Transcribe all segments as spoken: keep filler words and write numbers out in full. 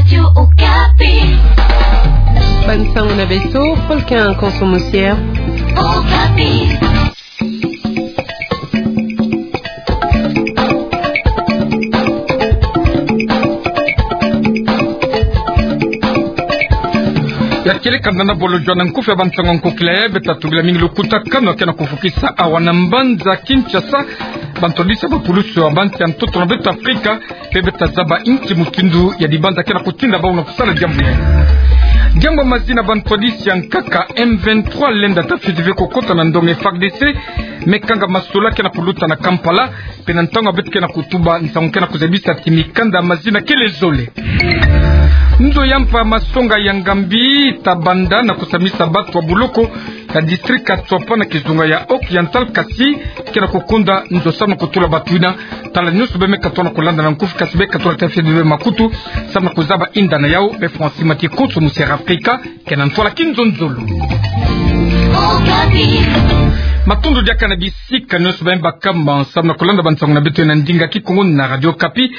Radio Okapi. Bansango na beto, Paul Quin Konso Mosier. Okapi. Ya kele kanda na bolo jua na nkufi ya bansango nkokila ya, beta tungila mingi lukutakanu ya kena kufukisa awa na mbanza Kinshasa, bantwadisi ya bapulusu ya bansi ya ntoto na beto Afrika, pe beta zaba inki mutindu ya dibanza kena kutinda bau na kusala diambu ya. Diambu ya mazi na bantwadisi ya nkaka M vingt-trois lenda tafiti ve kukota na ndonga F A R D C, me kanga masolo kena kuluta na Kampala, pe na ntangu ya beto kena kutuba nsangu kena kuzabisa ti mikanda ya mazi na kele zole. Nzo ya mpa masonga ya Ngambi ta banda na kusamisa batu ya buloko ya district ya Tswapa na kizunga ya Haut-Oriental, kasi kena kukonda nzo samu na kutula batu yina. Tala nyonso beno me katoa na kulanda na nkufi, kasi beno katoa tafiti beno makutu samu na kuzaba inda na yau. Beno Francis Mati Konso Mosier Afrika, kena ntwala kinzonzolo. Matondo diaka na bisika nyonso beno me bakama samu na kulanda bansango na beto na ndinga Kikongo na Radio Okapi.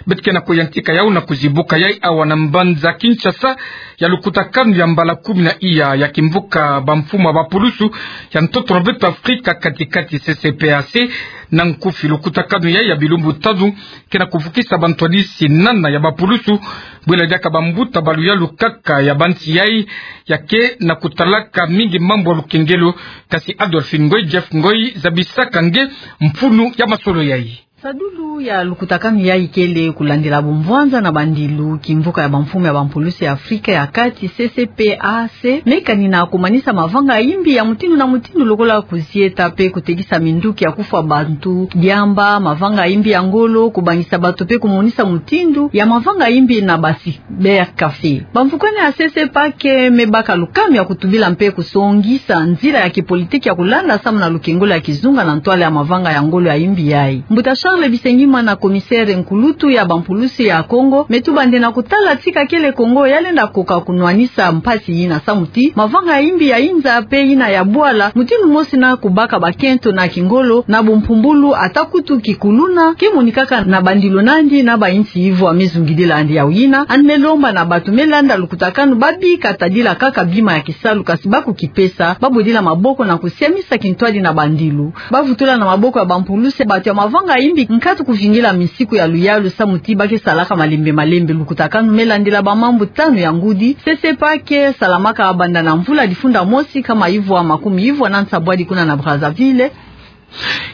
Beto kena kuyantika yau na kuzibuka yai awa na mbanza Kinshasa, ya lukutakanu ya mbala kumi na iya ya kimvuka bamfumu ya bapulusu ya ntoto na beto Afrika kati-kati, C C P A C. Na nkufi, lukutakanu yai ya bilumbu tanu kena kufukisa bantwadisi nana ya bapulusu, bwela diaka bambuta ba luyalu kaka ya bansi yai, ya kena kutalaka mingi mambu ya lukengelo. Kasi Adolphine Ngoy, Jeff Ngoy, zabisaka nge mfunu ya masolo yai. Sadulu ya lukutakanu yai kele kulandila bumvwanza na bandilu kimvuka ya bamfumu ya bampulusi ya Afrika ya kati, C C P A C, me kani na kumanisa mavanga ya imbi ya mutindu na mutindu, lokola kuzieta pe kutekisa minduki ya kufwa bantu, diamba, mavanga ya imbi ya ngolo, kubangisa bato pe kumonisa mutindu ya mavanga ya imbi na basi cybercafé. Bamfukami ya C C P A C me baka lukami ya kutubila mpe kusongisa nzila ya kipolitiki ya kulanda samu na lukengolo ya kizunga na ntwala ya mavanga ya ngolo ya imbi yai. Mbuta Charles Bisengimana, commissaire nkulutu ya bampulusi ya Kongo, me tuba nde na kutala tika kele Kongo ya lenda koka kunwanisa mpasi yina samu ti mavanga ya imbi ya inza pe yina ya bwala mutindu mosi na kubaka bakento na kingolo na bumpumbulu, ata kutu kikuluna, ke monikaka na bandilu na yandi na bainsi yivwa me zungidila yandi. Yau yina, yandi me lomba na bato me landa lukutakanu ba bika tadila kaka bima ya kisalu, kasi ba kukipesa, ba bodila maboko na kusiamisa kintwadi na bandilu. Ba vutula na maboko ya bampulusi bato ya mavanga ya imbi nkatu kuvingila misiku ya luyalu samu ti ba ke salaka malembe malembe. Lukutakanu me landila bamambu tanu ya ngudi. C C P A C ke salamaka banda na mvula difunda mosi kama yivwa makumi yivwa na nsambwadi kuna na Brazzaville.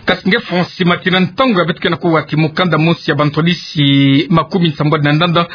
Kasi nge Francis Mati, na ntangu ya beto kena kuwa ti mukanda mosi ya bantwadisi makumi nsambwadi na ndanda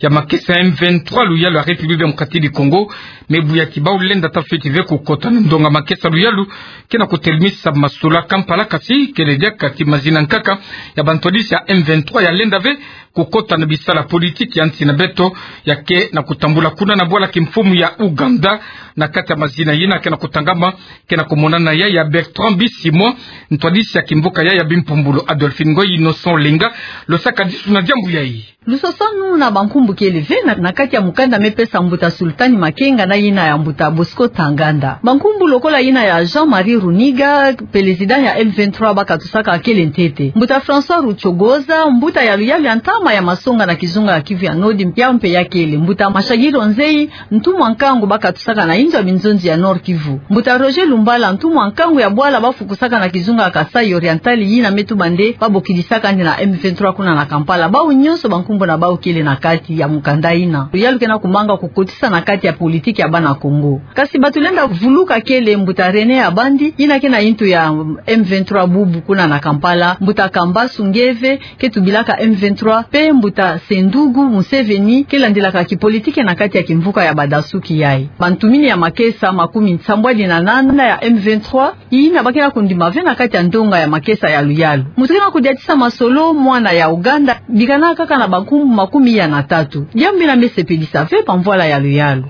ya makesa M vingt-trois luyalu ya République Démocratique du Congo, me buya ti bau lenda tafiti ve kukota na ndonga makesa luyalu kena kutelemisa masolo ya Kampala, kasi kele diaka ti mazi na nkaka ya bantwadisi ya M vingt-trois ya lenda ve kukota na bisalu ya politiki ya nsi na beto, ya kena kutambula kuna na bwala kimfumu ya Ouganda. Na kati ya mazi na yina kena kutangama, kena kumonana yai ya Bertrand Bisimwa, ntwadisi ya kimvuka yai ya bimpumbulu. Adolphine Ngoy, Innocent Olenga, losaka disu na diambu yai. Lusosonu na bankumbu kele ve na, na kati ya mukanda me pesa mbuta Sultani Makenga na yina ya mbuta Bosco Tanganda. Bankumbu lokola yina ya Jean-Marie Runiga, président ya M vingt-trois, ba katusaka kele ntete. Mbuta François Rucogoza, mbuta ya luyalu ya ntama ya masonga na kizunga ya Kivu ya Nord, yau mpe ya kele. Mbuta Mashagiro Nzeyi, ntumwa nkangu ba katusaka na inzo ya binzonzi ya Nord-Kivu. Mbuta Roger Lumbala, ntumwa nkangu ya bwala ba fukusaka na kizunga ya Kasaï Oriental, yina me tuba nde ba bokidisaka yandi na M vingt-trois kuna na Kampala. Bau nyonso bankumbu na bau kele na kati ya mukanda yina. Luyalu kena kumanga kukotisa na kati ya politiki ya bana Kongo. Kasi bato lenda vuluka kele mbuta René Abandi, yina ke na yintu ya M vingt-trois bubu kuna na Kampala, mbuta Kambasu Ngeve, ke tubilaka M vingt-trois, pe mbuta Sendugu Museveni, ke landilaka kipolitiki na kati ya kimvuka ya badasuki yai. Bantumini ya makesa makumi nsambwadi na nana ya M vingt-trois, yina ba kena kundima ve na kati ya ndonga ya makesa ya luyalu. Moto kena kudiatisa masolo, mwana ya Ouganda, bikana kaka na bankumbu makumi ya na tatu. Diambu yina me sepelisa ve bamvwala ya luyalu.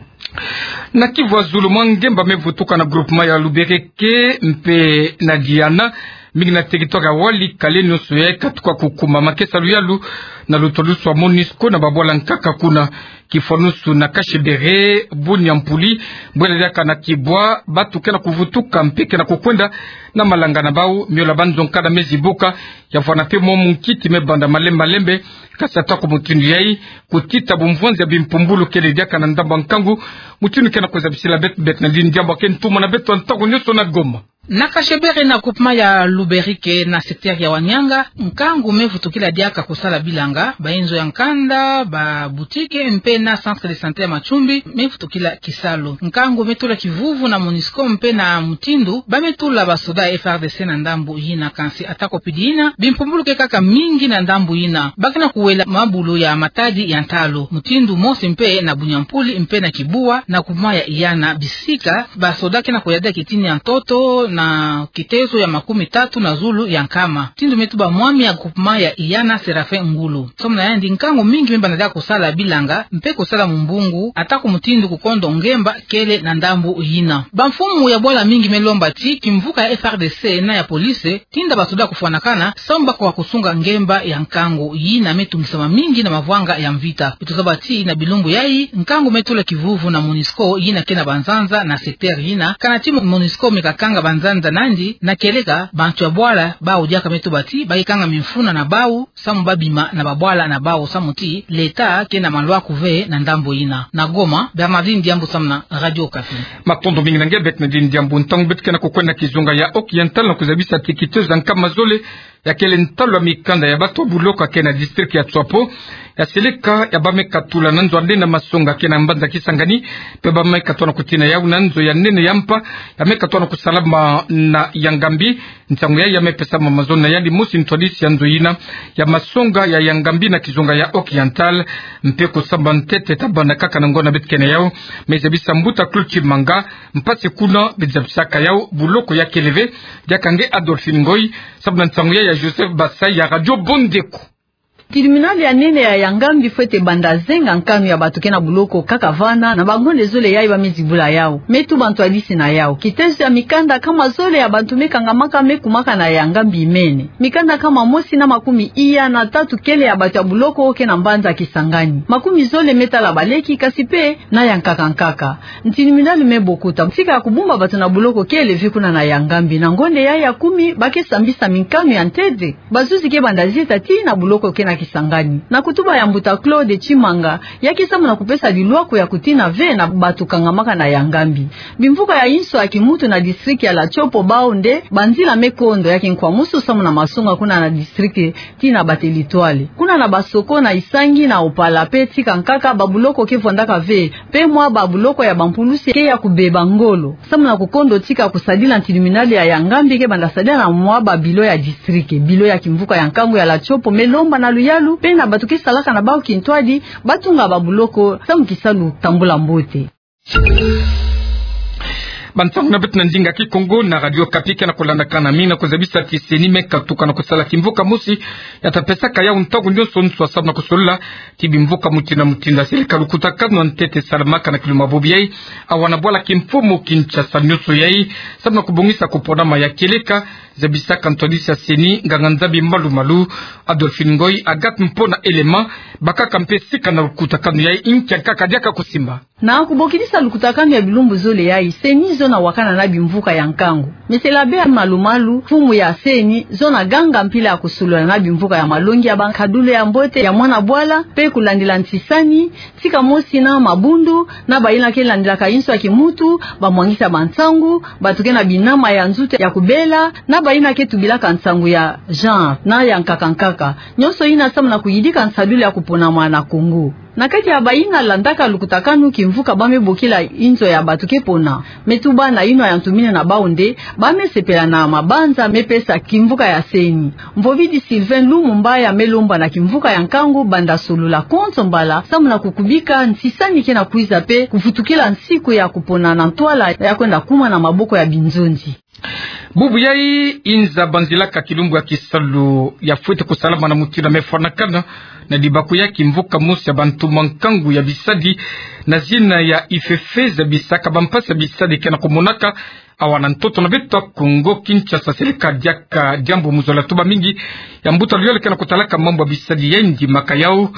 Na Kivu ya Zulu, mwa ngemba me vutuka na groupement ya Lubereke mpe na Diana, mingi na territoire ya Walikale, nyonso yai katuka kukuma. Makesa luyalu na lutwadusu ya MONUSCO na babwala nkaka kuna. Kifwanusu na Kashebere, Bunia Mpuli, bwela diaka na Kibwa, bantu ke na kuvutuka mpe ke na kukwenda na malanga na bau, miola banzo nkanda me zibuka, ya vwanda mpe mwa munkiti me banda malembe malembe. Kasi atako mutindu yai, kutita bumvwanzi ya bimpumbulu kele diaka na ndambu ya nkangu, mutindu ke na kuzabisila beto, beto na dini diambu ake ntumwa na beto ntangu nyonso na Goma. Na Kashebere na groupement ya Luberike na secteur ya Wanianga, nkangu me vutukila diaka kusala bilanga, bainzo ya nkanda, babutike, mpe na centre de santé ya Matsoumbi, me vutukila kisalu. Nkangu me tula kivuvu na MONUSCO mpe na mutindu ba me tula basoda ya F R D C na ndambu yina. Kansi atako pidi yina, bimpumbulu ke kaka mingi na ndambu yina. Ba ke na kuwela mabulu ya matadi ya ntalu. Mutindu mosi mpe na Bunia Mpuli mpe na Kibwa, na groupement ya Iyana, bisika basoda ke na kuyadila kitini ya ntoto na kitezo ya makumi tatu na zulu ya nkama. Mutindu me tuba mwami ya groupement ya Iyana, Serafin Ngulu. Samu na yandi, nkangu mingi me banda diaka kusala bilanga mpe kusala mumbungu, atako mutindu kukondo ngemba kele na ndambu yina. Bamfumu ya bwala mingi me lomba ti kimvuka ya F R D C na ya police tinda basoda kufwanakana, samu bako wa kusunga ngemba ya nkangu. Yina me tungisama mingi na mavwanga ya mvita. Beto zaba ti na bilumbu yai, nkangu me tula kivuvu na MONUSCO yina ke na banzanza na secteur yina. Kana ti MONUSCO me kakanga banzanza nandi, na kieleka bantu ya bwala bau diaka me tuba ti ba ke kanga mimfuna na bau, samu ba bima na babwala na bau, samu ti l'État ke na malwaku ve na ndambu yina. Na Goma, Bernardine Diambu samu na Radio Okapi. Matondo mingi na nge, beto na dini diambu. Ntangu beto ke na kukwenda na kizunga ya Haut-Oriental na kuzabisa ti kitezo ya nkama zole ya kele ntalu ya mikanda ya bantu ya buloko ya ke na district ya Tswapo, ya seleka ya ba me katula na nzo ya nene ya masonga ke na mbanza Kisangani, mpe ba me katoa na kutina yau na nzo ya nene ya mpa ya me katoa na kusalama na Yangambi. Nsangu yai ya me pesama mazono na yandi mosi ntwadisi ya nzo yina ya masonga ya Yangambi na kizunga ya Haut-Oriental, mpe kusamba ntete tabana kaka na ngonda beto ke na yau. Me zabisa mbuta Claude Tshimanga mpasi kuna be zabisaka yau buloko ya kele ve. Diaka nge Adolphine Ngoy, samu na nsangu yai ya Joseph Basai ya Radio Bondeko. Tribunal ya nene ya Yangambi fwete banda zenga nkanu ya bantu ke na buloko kaka vana, na bangonda zole yai ba me zibula yau. Me tuba ntwadisi na yau, kitezo ya mikanda nkama zole ya bantu me kangamaka me kumaka na Yangambi imene. Mikanda nkama mosi na makumi iya na tatu kele ya bantu ya buloko ke na mbanza Kisangani. Makumi zole me tala baleki, kasi mpe na ya nkaka nkaka. Tribunal me bokuta tika ya kubumba bantu na buloko kele ve kuna na Yangambi. Na ngonda yai ya kumi, ba ke sambisa minkanu ya ntete. Bazuzi ke banda zita tii na buloko ke na Kisangani. Na kutuba ya mbuta Claude Tshimanga, ya ke samu na kupesa lilwaku ya kutina ve na bantu kangamaka na Yangambi. Bimvuka ya inso ya kimuntu na district ya la Tshopo bau nde banzila me kondo ya kinkwamusu samu na masonga kuna na district tii na bateritware. Kuna na Basoko, na Isangi, na Opala mpe tika nkaka, babuloko ke vwandaka ve, mpe mwa babuloko ya bampulusi ke ya kubeba ngolo. Samu na kukondo tika kusadila tribunal ya Yangambi ke banda sadila na mwa babilo ya district, bilo ya kimvuka ya nkangu ya la Tshopo me lomba na luyalu mpe na bantu ke salaka na bau kintwadi, ba tunga babuloko samu kisalu tambula mbote. Bansangu na beto na ndinga Kikongo na Radio Okapi ke na kulandakana. Mingi na kuzabisa ti CENI me katuka na kusala kimvuka mosi ya ta pesaka yau ntangu nyonso nswa samu na kusolola ti bimvuka mutindu na mutindu ya seleka lukutakanu ya ntete salamaka na kilumbu ya bobo yai, awa na bwala kimfumu Kinshasa nyonso yai, samu na kubongisa kuponama ya kieleka, zabisaka ntwadisi ya CENI, nganga-Nzambi Malu Malu, Adolphine Ngoy, Agathe Mpona Elema, bakaka mpe sika na lukutakanu yai. Nkia nkaka diaka kusimba? Na kubokidisa lukutakanu ya bilumbu zole yai, CENI zo na wakana na bimvuka ya nkangu. Monsieur l'abbé Malu Malu, mfumu ya CENI, zo na ganga mpila ya kusolola na bimvuka ya malongi ya bankadulu ya mbote ya mwana bwala, mpe kulandila ntisani, tika mosi na mabundu, na bayina ke landilaka inso ya kimuntu, bamwangisi ya bansangu, bantu ke na binama ya nzutu ya kubela, na bayina ke tubilaka nsangu ya genre, na ya nkaka nkaka. Nyonso yina samu na kuyidika nsadulu ya kuponama na Kongo. Na kati ya bayina landaka lukutakanu kimvuka ba me bokila inzo ya bantu ke pona, me tuba na yinwa ya ntu mina na bau nde ba me sepela na mabanza me pesa kimvuka ya CENI. Mvovidi Sylvain Lumumba ya me lomba na kimvuka ya nkangu banda solola konso mbala samu na kukubika ntisani ke na kwiza mpe kuvutukila nsiku ya kupona na ntwala ya kwenda kuma na maboko ya binzonzi. Bubu yai, inza banzilaka kilumbu ya kisalu ya fwete kusalama na mutindu ya me fwanakana Na dibakuyaki mvuka mosi ya bantu mwa nkangu ya bisadi na zina ya I F E F E, zabisaka bampasi ya bisadi ke na kumonaka awa na ntoto na beto ya Kongo Kinshasa. Seleka diaka diambu mu zola tuba mingi ya mbuta luyalu ke na kutalaka mambu ya bisadi ya yandi makayau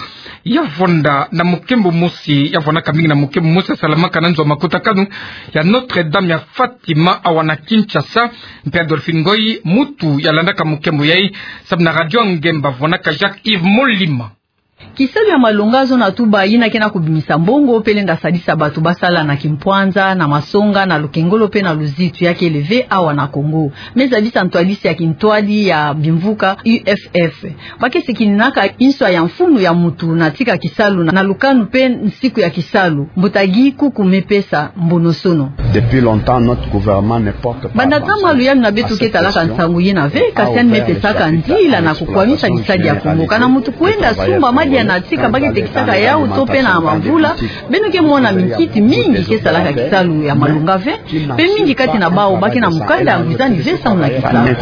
ya vonda na mukembo mosi, ya vonaka mingi na mukembo mosi ya salamaka na nzo ya makutakanu ya Notre-Dame ya Fatima awa na Kinshasa. Mpe Adolphine Ngoyi, mutu ya landaka mukembo yayi, samu na Radio Ngemba, vonaka Jacques Yves Molima. Kisalu ya malonga zona tuba yina ke na kubimisa mbongo mpe lenda sadisa bato basala na kimpwanza, na masonga, na lukengolo mpe na luzitu ya kele ve awa na Kongo. Me zabisa ntwadisi ya kintwadi ya bimvuka U F F. Ba ke sikininaka inswa ya mfunu ya mutu na tika kisalu na, na lukanu mpe nsiku ya kisalu. Mbuta Guy Kuku me pesa mbonosono. Depuis longtemps, notre gouvernement ne porte pas attention. Banda ntangu luyalu na beto ke talaka nsangu yina ve, kasi yandi me pesaka nzila na kukwamisa bisadi ya Kongo. Kana mutu kwenda sumba madia na tika ba ke tekisaka yawu to mpe na mavula, beno ke mona minkiti mingi ke salaka kisalu ya malonga ve, mpe mingi kati na bawu ba ke na mukanda ya ngwizani ve samu na kisalu.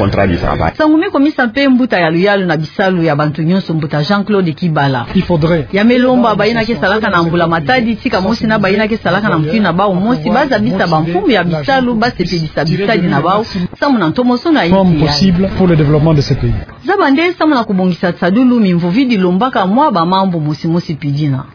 Nsangu me kumisa mpe mbuta ya luyalu na bisalu ya bantu nyonso, mbuta Jean-Claude Kibala. Il faudrait. Ya me lomba bayina ke salaka na mbula matadi, tika mosi na bayina ke salaka na mutindu na bawu mosi, ba zabisa bamfumu ya bisalu ba sepelisa bisadi na bawu samu na ntomosono ya insi yayi. Possible pour le développement de ce pays. Zaba nde samu na kubongisa tisadulu mimvovidi lombaka mwa bamambu mosi mosi pidina.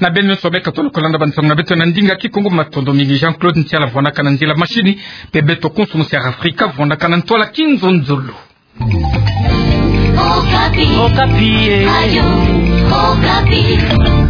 Na beno nyonso beka tolo kulanda bansangu na beto na ndinga Kikongo, matondo mingi. Jean-Claude Ntiala vonaka na nzila mashini, mpe beto konso mu Sierra Africa vonaka na ntwala kinzonzolo. Okapi. Okapi, eh. Radio Okapi.